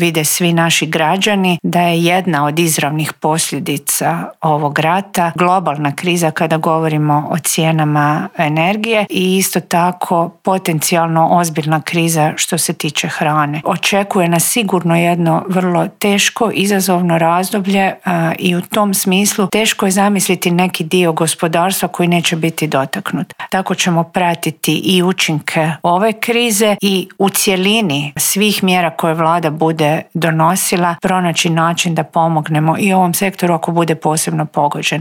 vide svi naši građani, da je jedna od izravnih posljedica ovog rata globalna kriza kada govorimo o cijenama energije i isto tako potencijalno ozbiljna kriza što se tiče hrane. Očekuje nas sigurno jedno vrlo teško, izazovno razdoblje i u tom smislu teško je zamisliti neki dio gospodarstva koji neće biti dotaknut. Tako ćemo pratiti i učinke ove krize i u cjelini svih mjera koje vlada bude donosila pronaći način da pomognemo i ovom sektoru ako bude posebno pogođen.